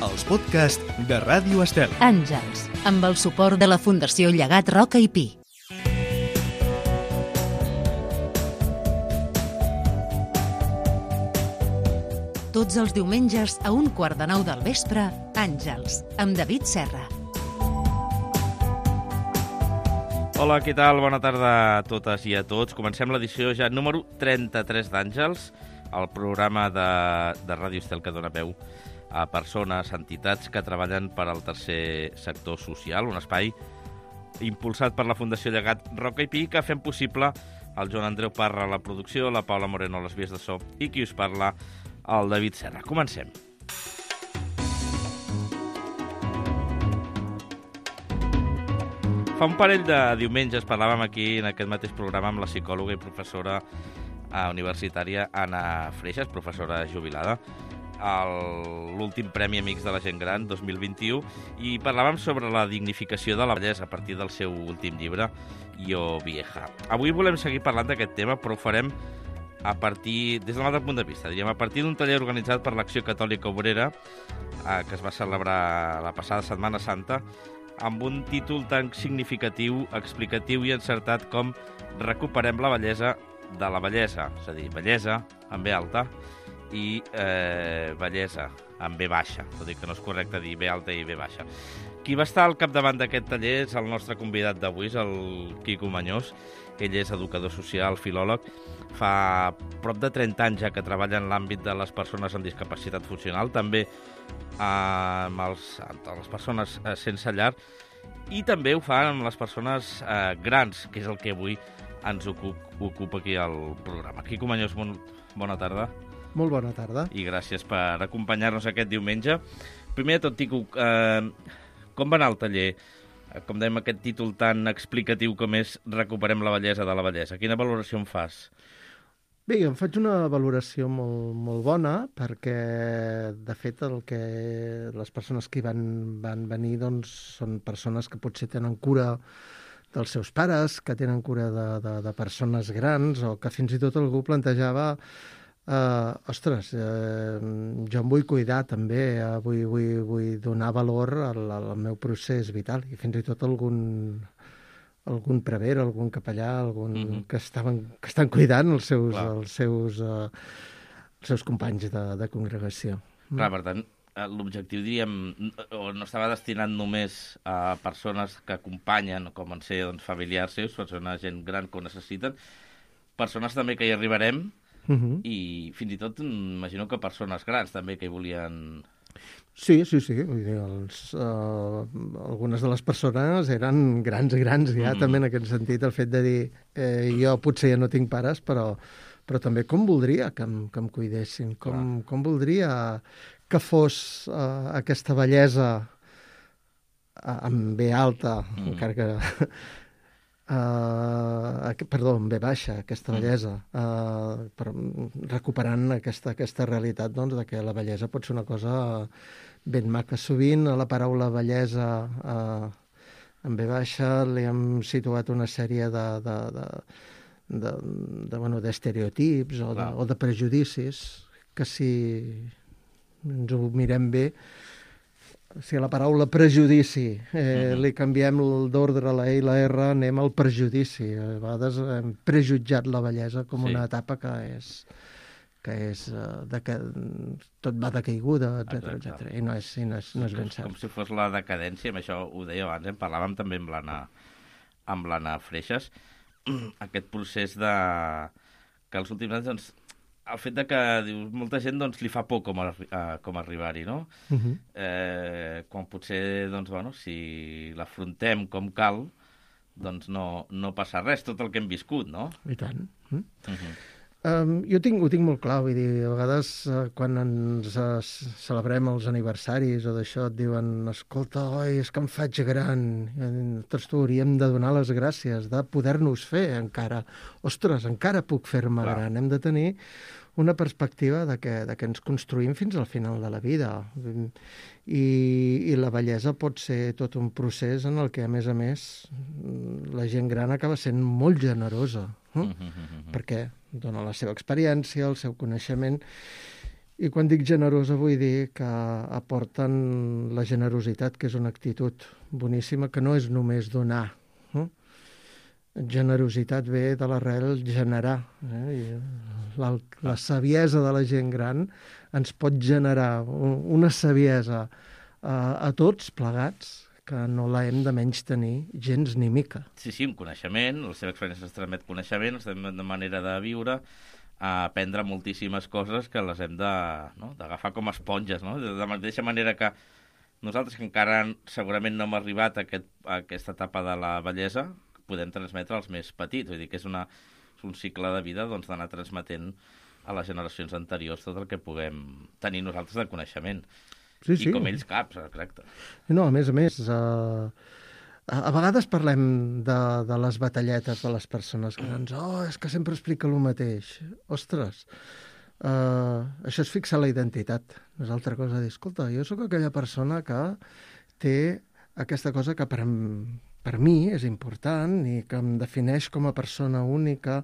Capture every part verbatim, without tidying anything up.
els podcasts de Ràdio Estel. Àngels, amb el suport de la Fundació Llegat Roca i Pi. Tots els diumenges a un quart de nou del vespre, Àngels, amb David Serra. Hola, què tal? Bona tarda a totes i a tots. Comencem l'edició ja número trenta-tres d'Àngels, el programa de, de Ràdio Estel que dona peu a persones, entitats que treballen per al tercer sector social, un espai impulsat per la Fundació Llegat Roca i Pi, que fem possible el Joan Andreu Parra a la producció, la Paula Moreno a les vies de so i qui us parla, el David Serra. Comencem. Fa un parell de diumenges parlàvem aquí en aquest mateix programa amb la psicòloga i professora universitària Anna Freixas, professora jubilada, l'últim Premi Amics de la Gent Gran dos mil vint-i-u, i parlàvem sobre la dignificació de la bellesa a partir del seu últim llibre, Yo Vieja. Avui volem seguir parlant d'aquest tema, però ho farem a partir, des d'un altre punt de vista, diríem, a partir d'un taller organitzat per l'Acció Catòlica Obrera, eh, que es va celebrar la passada Setmana Santa, amb un títol tan significatiu, explicatiu i encertat com Recuperem la bellesa de la bellesa, és a dir, bellesa amb B alta i eh, bellesa amb B baixa, tot i que no és correcte dir B alta i B baixa. Qui va estar al capdavant d'aquest taller és el nostre convidat d'avui, és el Quico Mañós. Ell és educador social, filòleg, fa prop de trenta anys ja que treballa en l'àmbit de les persones amb discapacitat funcional, també eh, amb, els, amb les persones eh, sense llar, i també ho fa amb les persones eh, grans, que és el que avui ens ocup, ocupa aquí al programa. Quico Mañós, bon, bona tarda. Molt bona tarda. I gràcies per acompanyar-nos aquest diumenge. Primer de tot, Quico, eh, com va anar el taller? Com dèiem, aquest títol tan explicatiu com és Recuperem la bellesa de la bellesa. Quina valoració en fas? Bé, em faig una valoració molt, molt bona perquè, de fet, el que les persones que hi van, van venir doncs, són persones que potser tenen cura dels seus pares, que tenen cura de, de, de persones grans, o que fins i tot algú plantejava Uh, ostres, uh, jo em vull cuidar també, uh, vull, vull, vull donar valor al, al meu procés vital, i fins i tot algun, algun prevere, algun capellà, algun mm-hmm. que, estaven, que estan cuidant els seus, els seus, uh, els seus companys de, de congregació. Clar, per tant, l'objectiu, diríem, no estava destinat només a persones que acompanyen, com en ser doncs, familiars seus, persones, gent gran que ho necessiten, persones també que hi arribarem, Uh-huh. i fins i tot imagino que persones grans també que hi volien... Sí, sí, sí. Vull dir, els, uh, algunes de les persones eren grans, grans ja, mm. també en aquest sentit, el fet de dir eh, jo potser ja no tinc pares, però, però també com voldria que em, que em cuidessin, com, ah. com voldria que fos uh, aquesta bellesa uh, amb B alta, mm. encara que... Uh, perdó, en B baixa, aquesta bellesa, uh, però recuperant aquesta, aquesta realitat doncs, de que la bellesa pot ser una cosa ben maca. Sovint a la paraula bellesa uh, en B baixa li hem situat una sèrie de, de, de, de, de, bueno, d'estereotips o de, o de prejudicis que, si ens ho mirem bé, si a la paraula prejudici eh, uh-huh. li canviem d'ordre la E i la R, anem al prejudici. A vegades hem prejutjat la bellesa com sí. una etapa que és, que és uh, de que tot va de caiguda, etcètera, etcètera. I no és, i no és, no és ben cert. Com si fos la decadència, amb això ho deia abans, en parlàvem també amb l'Anna, amb l'Anna Freixas, aquest procés de... que els últims anys, doncs, el fet de que dius, molta gent doncs, li fa por com, a, uh, com arribar-hi, no? Uh-huh. Eh, quan potser, doncs, bueno, si l'afrontem com cal, doncs no, no passa res, tot el que hem viscut, no? I tant. Mm? Uh-huh. Um, jo tinc, ho tinc molt clar, vull dir, a vegades uh, quan ens uh, celebrem els aniversaris o d'això et diuen, escolta, oi, és que em faig gran, nosaltres tu hauríem de donar les gràcies, de poder-nos fer encara, ostres, encara puc fer-me clar. Gran, hem de tenir una perspectiva de que, de que ens construïm fins al final de la vida. I, i la bellesa pot ser tot un procés en el que, a més a més, la gent gran acaba sent molt generosa, eh? uh-huh, uh-huh. perquè dona la seva experiència, el seu coneixement, I quan dic generosa vull dir que aporten la generositat, que és una actitud boníssima, que no és només donar. Eh? Generositat ve de l'arrel generar. Eh? I la, la saviesa de la gent gran ens pot generar una saviesa a, a tots plegats, que no la hem de menys tenir gens ni mica. Sí, sí, un coneixement, la seva experiència ens transmet coneixement, ens transmet de manera de viure, a aprendre moltíssimes coses que les hem de, no? d'agafar com esponges, no? De la mateixa manera que nosaltres, que encara segurament no hem arribat a, aquest, a aquesta etapa de la bellesa, podem transmetre als més petits. Vull dir que és, una, és un cicle de vida doncs, d'anar transmetent a les generacions anteriors tot el que puguem tenir nosaltres de coneixement. Sí, sí. I com ells caps, exacte. No, a més a més, uh, a, a vegades parlem de, de les batalletes de les persones grans. Oh, és que sempre explica el mateix. Ostres, uh, això és fixar la identitat. No és altra cosa dir, escolta, jo sóc aquella persona que té aquesta cosa que per, per mi és important i que em defineix com a persona única,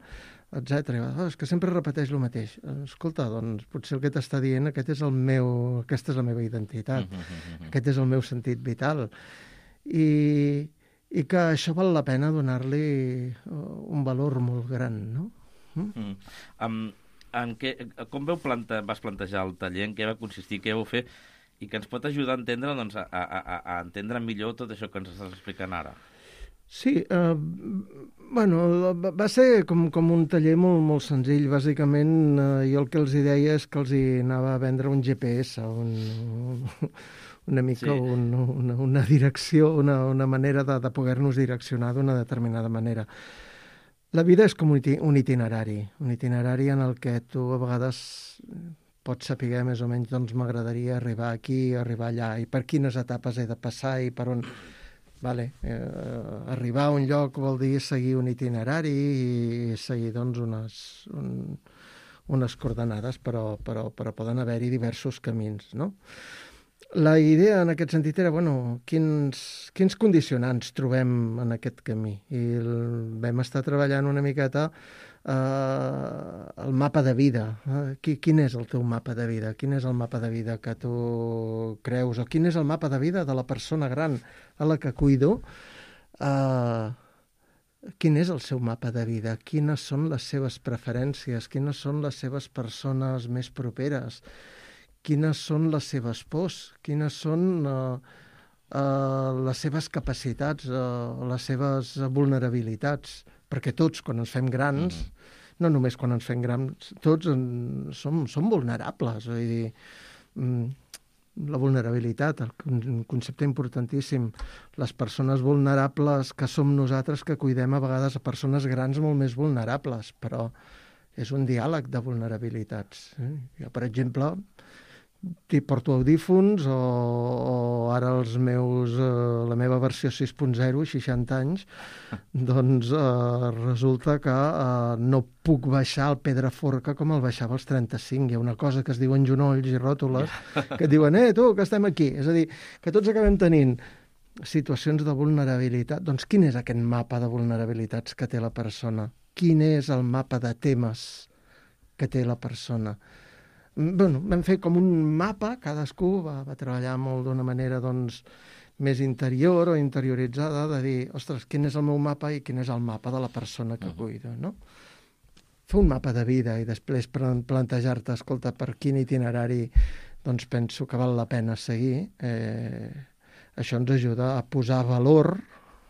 etcètera. Oh, és que sempre repeteix el mateix. Escolta, doncs potser el que t'està dient aquest és el meu, aquesta és la meva identitat, uh -huh, uh -huh. aquest és el meu sentit vital. I, i que això val la pena donar-li un valor molt gran, no? Mm? Mm. Um, en què, com veu plante, vas plantejar el taller, en què va consistir, què vau fer, i que ens pot ajudar a entendre, doncs, a, a, a entendre millor tot això que ens estàs explicant ara? Sí, eh, bueno, va ser com, com un taller molt, molt senzill. Bàsicament, eh, jo el que els hi deia és que els hi anava a vendre un G P S, un, un, una mica sí. un, una, una direcció, una, una manera de, de poder-nos direccionar d'una determinada manera. La vida és com un itinerari, un itinerari en el que tu a vegades pots saber més o menys, doncs m'agradaria arribar aquí, arribar allà, i per quines etapes he de passar i per on... Vale. Eh, arribar a un lloc vol dir seguir un itinerari i seguir doncs, unes, un, unes coordenades, però, però, però poden haver-hi diversos camins, no? La idea en aquest sentit era, bueno, quins, quins condicionants trobem en aquest camí? I el, vam estar treballant una miqueta Uh, el mapa de vida. Uh, qui, quin és el teu mapa de vida? Quin és el mapa de vida que tu creus? O quin és el mapa de vida de la persona gran a la que cuido? Uh, quin és el seu mapa de vida? Quines són les seves preferències? Quines són les seves persones més properes? Quines són les seves pors? Quines són uh, uh, les seves capacitats, uh, les seves vulnerabilitats? Perquè tots, quan ens fem grans, mm-hmm. no només quan ens fem grans, tots en, som, som vulnerables. Vull dir, la vulnerabilitat, un concepte importantíssim. Les persones vulnerables que som nosaltres, que cuidem a vegades a persones grans molt més vulnerables, però és un diàleg de vulnerabilitats. Eh? Jo, per exemple, t'hi porto audífons o, o ara els meus, eh, la meva versió sis punt zero, seixanta anys, doncs eh, resulta que eh, no puc baixar el Pedraforca com el baixava als trenta-cinc. Hi ha una cosa que es diuen genolls i ròtules que et diuen, eh, tu, que estem aquí. És a dir, que tots acabem tenint situacions de vulnerabilitat. Doncs quin és aquest mapa de vulnerabilitats que té la persona? Quin és el mapa de temes que té la persona? Bueno, vam fer com un mapa, cadascú va, va treballar molt d'una manera doncs, més interior o interioritzada, de dir, ostres, quin és el meu mapa i quin és el mapa de la persona que cuido, no? Fer un mapa de vida i després plantejar-te, escolta, per quin itinerari doncs penso que val la pena seguir. Eh, això ens ajuda a posar valor,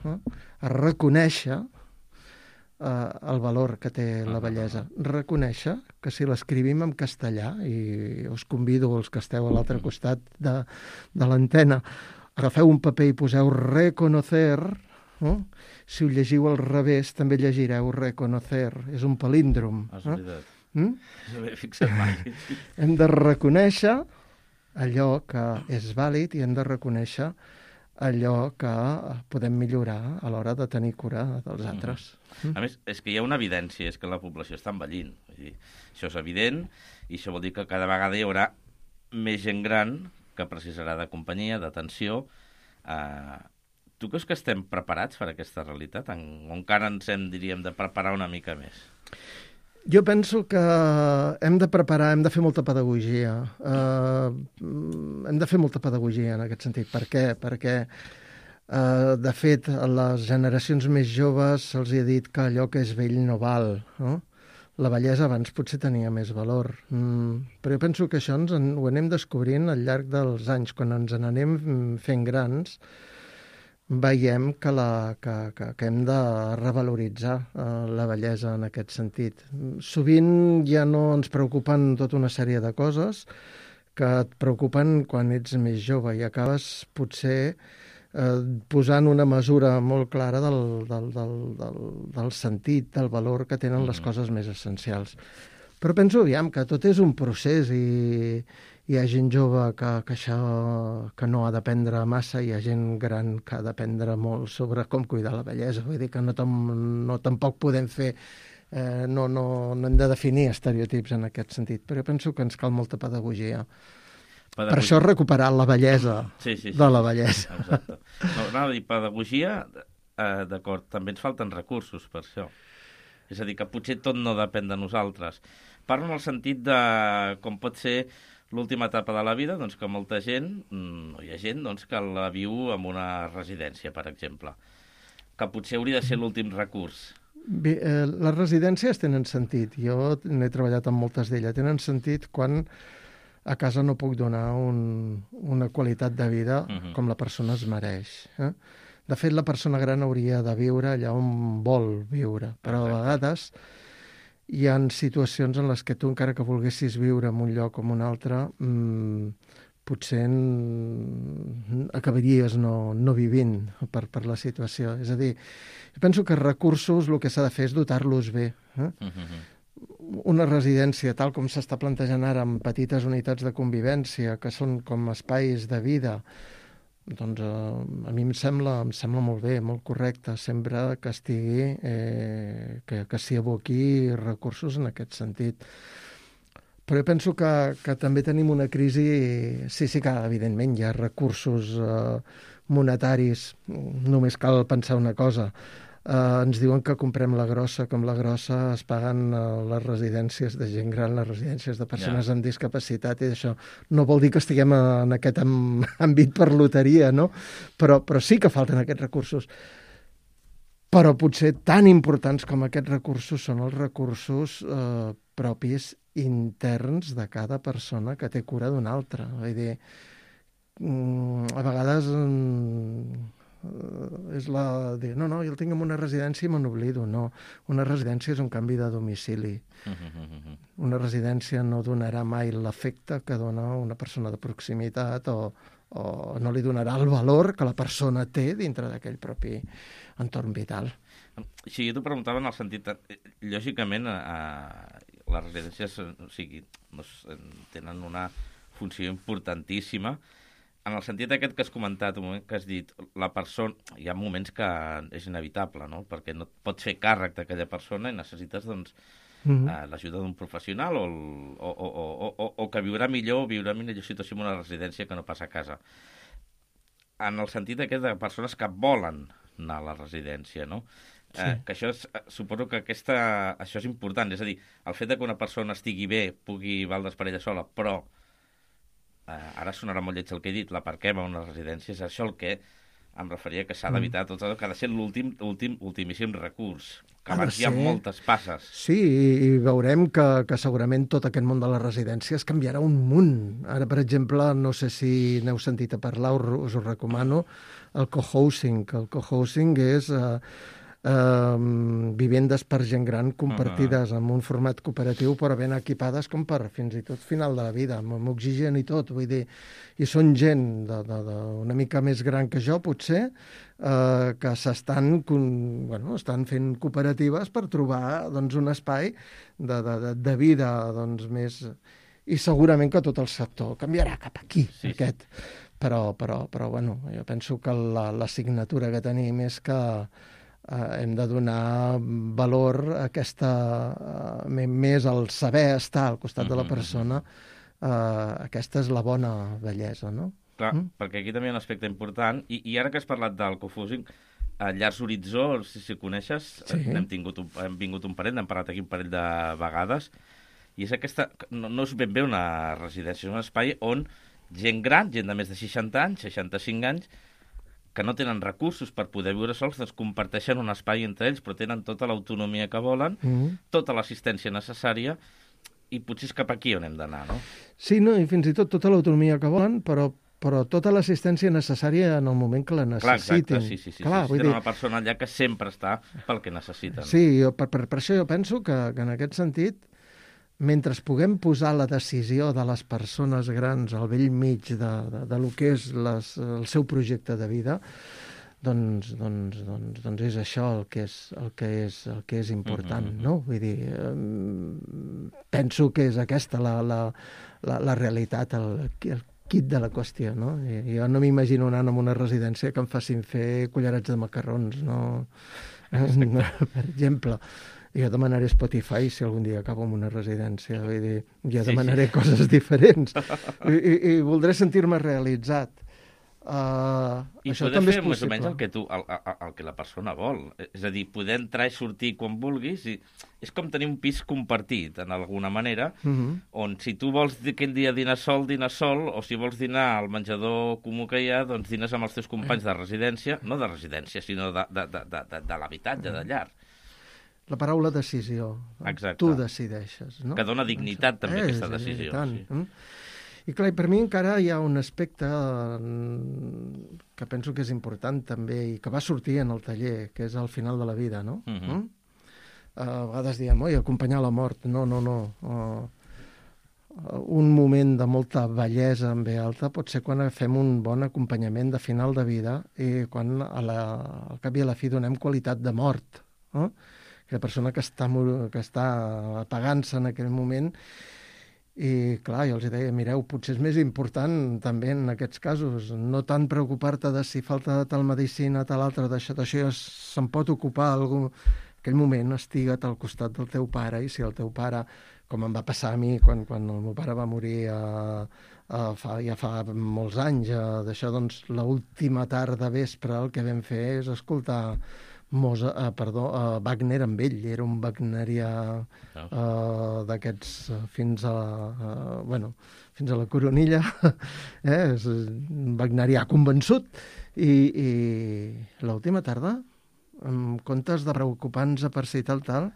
eh, a reconèixer Uh, el valor que té la bellesa. Reconèixer que si l'escrivim en castellà, i us convido els que esteu a l'altre costat de, de l'antena, agafeu un paper i poseu reconocer, no? Si ho llegiu al revés també llegireu reconocer, és un palíndrom. Has oblidat. Eh? Mm? No m'he fixat mai. Hem de reconèixer allò que és vàlid i hem de reconèixer allò que podem millorar a l'hora de tenir cura dels altres. Mm. A més, és que hi ha una evidència, és que la població està envellint. Vull dir, això és evident, i això vol dir que cada vegada hi haurà més gent gran que precisarà de companyia, d'atenció. Uh, tu creus que estem preparats per a aquesta realitat? En, o encara ens hem, diríem, de preparar una mica més? Jo penso que hem de preparar, hem de fer molta pedagogia. Uh, hem de fer molta pedagogia en aquest sentit. Per què? Perquè, uh, de fet, a les generacions més joves se'ls ha dit que allò que és vell no val, no? La bellesa abans potser tenia més valor. Mm, però jo penso que això ens en, ho anem descobrint al llarg dels anys. Quan ens n'anem fent grans, veiem que, la, que, que, que hem de revaloritzar eh, la bellesa en aquest sentit. Sovint ja no ens preocupen tota una sèrie de coses que et preocupen quan ets més jove i acabes potser eh, posant una mesura molt clara del, del, del, del, del sentit, del valor que tenen les coses més essencials. Però penso, aviam, que tot és un procés i hi ha gent jove que, que això que no ha d'aprendre massa, hi ha gent gran que ha d'aprendre molt sobre com cuidar la bellesa. Vull dir que no, tam, no tampoc podem fer, eh, no, no, no hem de definir estereotips en aquest sentit, però jo penso que ens cal molta pedagogia. pedagogia. Per això recuperar la bellesa sí, sí, sí, de la bellesa. Exacte. No, anava a dir, pedagogia, eh, d'acord, també ens falten recursos per això. És a dir, que potser tot no depèn de nosaltres. Parlo en el sentit de com pot ser l'última etapa de la vida, doncs que molta gent, no hi ha gent doncs, que la viu en una residència, per exemple, que potser hauria de ser l'últim recurs. Bé, eh, les residències tenen sentit. Jo n'he treballat amb moltes d'elles. Tenen sentit quan a casa no puc donar un, una qualitat de vida uh-huh. com la persona es mereix. Eh? De fet, la persona gran hauria de viure allà on vol viure, però a vegades hi ha situacions en les que tu, encara que volguessis viure en un lloc o en un altre, mmm, potser acabaries no, no vivint per, per la situació. És a dir, jo penso que recursos el que s'ha de fer és dotar-los bé. Eh? Uh-huh. Una residència, tal com s'està plantejant ara, amb petites unitats de convivència, que són com espais de vida, doncs eh, a mi em sembla, em sembla molt bé, molt correcte, sempre que estigui, eh, que, que s'hi aboqui recursos en aquest sentit. Però jo penso que, que també tenim una crisi, sí, sí que evidentment hi ha recursos eh, monetaris, només cal pensar una cosa. Uh, ens diuen que comprem la grossa, com la grossa es paguen uh, les residències de gent gran, les residències de persones yeah. amb discapacitat, i això no vol dir que estiguem en aquest àmbit per loteria, no? Però, però sí que falten aquests recursos. Però potser tan importants com aquests recursos són els recursos uh, propis interns de cada persona que té cura d'una altra. Vull dir, um, a vegades... Um, és la de, no, no, jo el tinc en una residència i me n'oblido. No, una residència és un canvi de domicili. Una residència no donarà mai l'efecte que dona una persona de proximitat o, o no li donarà el valor que la persona té dintre d'aquell propi entorn vital. Sí, jo t'ho preguntava en el sentit... Lògicament, a, les residències o sigui, tenen una funció importantíssima. En el sentit aquest que has comentat, un moment que has dit, la persona, hi ha moments que és inevitable, no? Perquè no et pots fer càrrec d'aquella persona i necessites doncs, mm-hmm. eh, l'ajuda d'un professional o, o, o, o, o, o que viurà millor o viurà millor situació en una residència que no passa a casa. En el sentit aquest de persones que volen anar a la residència, no? Sí. Eh, que això és, suposo que aquesta, això és important, és a dir, el fet de que una persona estigui bé, pugui valdre's per ella sola, però Uh, ara sonarà molt lleig el que he dit, l'aparquem a una residència, és això el que em referia que s'ha d'evitar tot el que ha de ser l'últim, últim, ultimíssim recurs, que abans hi ha moltes passes. Sí, i veurem que, que segurament tot aquest món de les residències canviarà un munt. Ara, per exemple, no sé si n'heu sentit a parlar, us ho recomano, el cohousing. El cohousing és... Uh, Uh, vivendes per gent gran compartides uh-huh. amb un format cooperatiu però ben equipades com per fins i tot final de la vida, amb oxigen i tot, vull dir, i són gent de, de, de una mica més gran que jo potser, uh, que s'estan bueno, estan fent cooperatives per trobar doncs, un espai de, de, de vida doncs, més... I segurament que tot el sector canviarà cap aquí, sí, aquest. Però, però, però bueno, jo penso que la, la signatura que tenim és que Uh, hem de donar valor a aquesta, uh, més al saber estar al costat de la persona, uh, aquesta és la bona bellesa, no? Clar, mm? perquè aquí també hi ha un aspecte important, i, i ara que has parlat del cohousing, a Llars Horitzó, no sé si ho coneixes, Sí. hem, tingut un, hem vingut un parell, n'hem parlat aquí un parell de vegades, i és aquesta, no, no és ben bé una residència, és un espai on gent gran, gent de més de seixanta anys, seixanta-cinc anys, que no tenen recursos per poder viure sols, doncs comparteixen un espai entre ells, però tenen tota l'autonomia que volen, Mm. tota l'assistència necessària, i potser és cap aquí on hem d'anar, no? Sí, no, i fins i tot tota l'autonomia que volen, però però tota l'assistència necessària en el moment que la Clar, necessitin. exacte, sí, sí, sí. Clar, sí, vull tenen dir, una persona allà que sempre està pel que necessiten. sí, jo, per, per, per això jo penso que, que en aquest sentit, mentre puguem posar la decisió de les persones grans al vell mig de, de, de lo que és les, el seu projecte de vida, doncs, doncs, doncs, doncs és això el que és, el que és, el que és important, Mhm, mhm. no? Vull dir, eh, penso que és aquesta la, la, la, la realitat, el, el quid de la qüestió, no? I jo no m'imagino anant a una residència que em facin fer cullerats de macarrons, no? Per exemple. Jo demanaré Spotify si algun dia acabo en una residència. Vull dir, jo Sí, demanaré sí. coses diferents. I, i, i voldré sentir-me realitzat. Uh, I això poder també fer és més o menys possible. el que, tu, el, el, el que la persona vol. És a dir, poder entrar i sortir quan vulguis. I és com tenir un pis compartit, en alguna manera, Mhm. on si tu vols aquell dia dinar sol, dinar sol, o si vols dinar al menjador comú que hi ha, doncs dines amb els teus companys de residència, no de residència, sinó de, de, de, de, de, de l'habitatge, de llar. La paraula decisió. Exacte. Tu decideixes, no? Que dona dignitat, també, Eh, aquesta sí, decisió, I, tant. sí. Mm. I clar, i per mi encara hi ha un aspecte mm, que penso que és important també i que va sortir en el taller, que és al final de la vida, no? Mhm. Mm? A vegades diem, oi, acompanyar la mort. No, no, no. Uh, un moment de molta bellesa en ve alta pot ser quan fem un bon acompanyament de final de vida i quan a la, al cap i a la fi donem qualitat de mort. No? La persona que està, mor- que està apagant-se en aquell moment. I clar, jo els deia, mireu, potser és més important també en aquests casos no tant preocupar-te de si falta tal medicina, tal altra, d'això, d'això ja se'n pot ocupar algú. Aquell moment estigua't al costat del teu pare i si el teu pare, com em va passar a mi quan, quan el meu pare va morir a, a fa, ja fa molts anys, a, d'això, doncs, l'última tarda vespre el que vam fer és escoltar Mosa, uh, perdó, uh, Wagner amb ell, era un wagnerià uh, d'aquests uh, fins a uh, bueno, fins a la coronilla, eh? És un wagnerià convençut, i, i l'última tarda, en comptes de preocupar-nos per si tal, tal,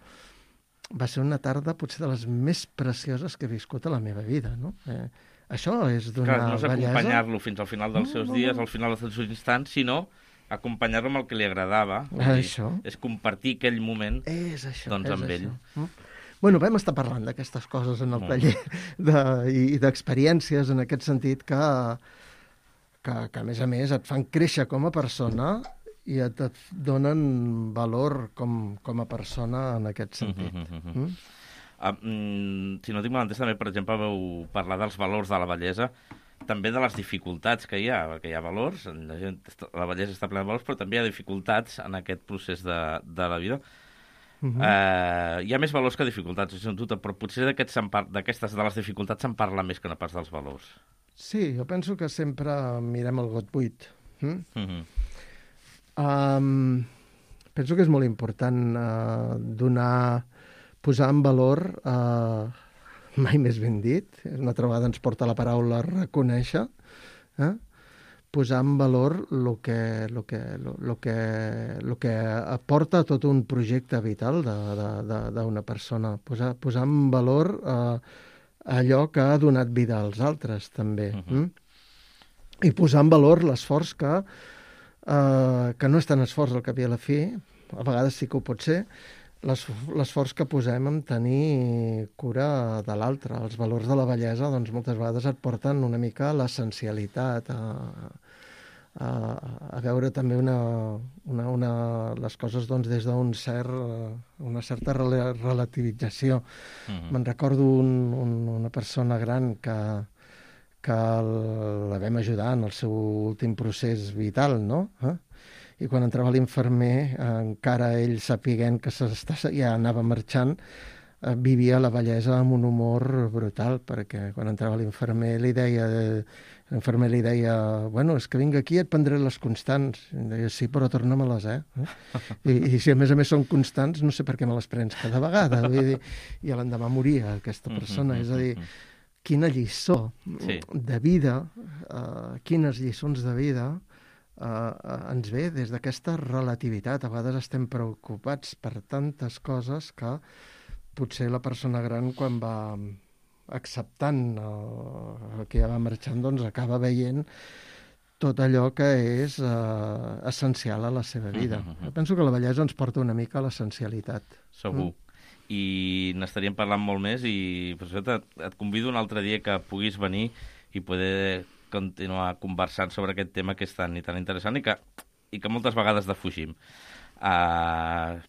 va ser una tarda potser de les més precioses que he viscut a la meva vida, no? Eh, això és donar Clar, no és bellesa. acompanyar-lo fins al final dels No, seus no, dies, no. al final dels seus instants, sinó acompanyar-lo amb el que li agradava. Vull dir, Això. És compartir aquell moment. És això, Doncs és amb això. ell. Mm? Bueno, vam estar parlant d'aquestes coses en el Molt taller de, i, i d'experiències en aquest sentit que, que, que, a més a més, et fan créixer com a persona i et, et donen valor com, com a persona en aquest sentit. Mhm, mhm, mhm. Mm? Ah, mm, si no tinc mal entès, també, per exemple, vau parlar dels valors de la bellesa, també de les dificultats que hi ha, perquè hi ha valors, la, gent, la bellesa està plena de valors, però també hi ha dificultats en aquest procés de, de la vida. Mhm. Eh, hi ha més valors que dificultats, és un dubte, però potser d'aquests se'n par- d'aquestes de les dificultats se'n parla més que no pas dels valors. Sí, jo penso que sempre mirem el got buit. Mm? Mhm. Um, penso que és molt important uh, donar, posar en valor, uh, mai més ben dit, una altra vegada ens porta la paraula reconèixer, eh? posar en valor el que, lo que, lo, lo que, lo que aporta tot un projecte vital d'una persona, posar, posar en valor uh, allò que ha donat vida als altres, també. Mhm. Mm? I posar en valor l'esforç que Uh, que no és tan esforç al cap i a la fi, a vegades sí que ho pot ser, l'esforç que posem en tenir cura de l'altre. Els valors de la bellesa, doncs, moltes vegades et porten una mica a l'essencialitat, a, a, a veure també una, una, una, les coses doncs, des d'un cert, una certa rel relativització. Mhm. Me'n recordo un, un, una persona gran que que la vam ajudar en el seu últim procés vital, no? Eh? I quan entrava l'infermer, encara ell sapiguent que ja anava marxant, eh, vivia la vellesa amb un humor brutal, perquè quan entrava l'infermer li deia... L'infermer li deia, bueno, és que vinc aquí i et prendré les constants. I em deia, sí, però torna-me-les, eh? I, I si a més a més són constants, no sé per què me les prens cada vegada. Vull dir, i l'endemà moria aquesta persona. És a dir, quina lliçó sí. de vida, uh, quines lliçons de vida uh, ens ve des d'aquesta relativitat. A vegades estem preocupats per tantes coses que potser la persona gran, quan va acceptant el que ja va marxant, doncs acaba veient tot allò que és uh, essencial a la seva vida. Uh -huh. Jo penso que la bellesa ens porta una mica a l'essencialitat. Segur. Mm? I n'estaríem parlant molt més i per això et convido un altre dia que puguis venir i poder continuar conversant sobre aquest tema que és tan i tan interessant i que, i que moltes vegades defugim. Uh,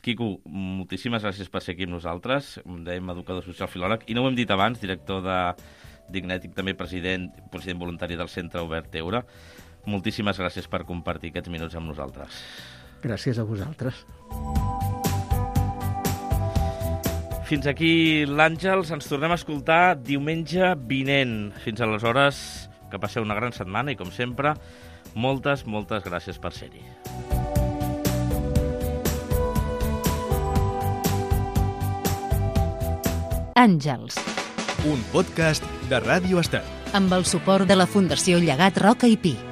Quico, moltíssimes gràcies per ser aquí amb nosaltres. Em dèiem educador social filòleg i no ho hem dit abans, director de Dignètic, també president, president voluntari del Centre Obert Eure. Moltíssimes gràcies per compartir aquests minuts amb nosaltres. Gràcies a vosaltres. Fins aquí l'Àngels. Ens tornem a escoltar diumenge vinent. Fins aleshores, que passeu una gran setmana i, com sempre, moltes, moltes gràcies per ser-hi. Àngels. Un podcast de Ràdio Estel. Amb el suport de la Fundació Llegat Roca i Pi.